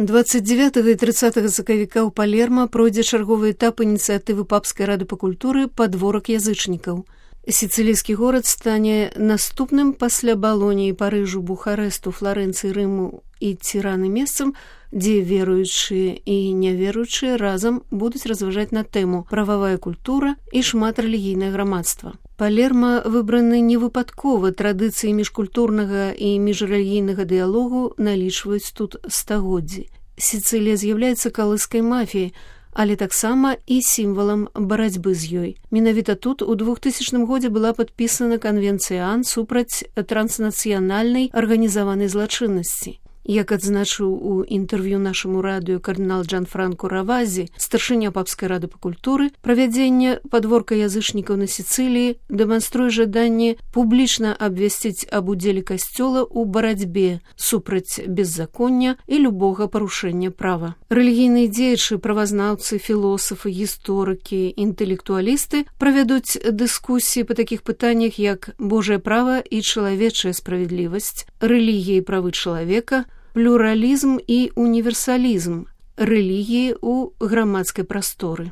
29 і 30 сакавіка ў Палерма пройдзе чарговы этап ініцыятывы Папскай рады па культуры «Падворак язычнікаў». Сіцылійскі горад стане наступным пасля Балоніі, Парыжу, Бухарэсту, Фларэнцыі, Рыму і Ціраны месцам, дзе веруючыя і няверуючыя разам будуць разважаць на тэму «Прававая культура і шматрэлігійнае грамадства». Палерма выбраны не выпадкова, традыцыі міжкультурнага і міжрэлігійнага дыялогу налічваюць тут стагоддзі. Сіцылія з'яўляецца калыскай мафіяй, але таксама і сімвалам барацьбы з ёй. Менавіта тут у 2000 годзе была падпісана канвенцыя АН супраць транснацыянальнай арганізаванай злачыннасці. Як адзначыў у інтэрв'ю нашаму радыё кардынал Джанфранко Равазі, старшыня Папскай рады па культуры, правядзенне падворка язычнікаў на Сіцыліі дэманструе жаданне публічна абвясціць аб удзеле касцёла ў барацьбе супраць беззаконня і любога парушэння права. Рэлігійныя дзеячы, правазнаўцы, філосафы, гісторыкі, інтэлектуалісты правядуць дыскусіі па такіх пытаннях, як Божае права і чалавечая справядлівасць, рэлігія і правы чалавека, плюралізм і універсалізм, рэлігіі ў грамадскай прасторы.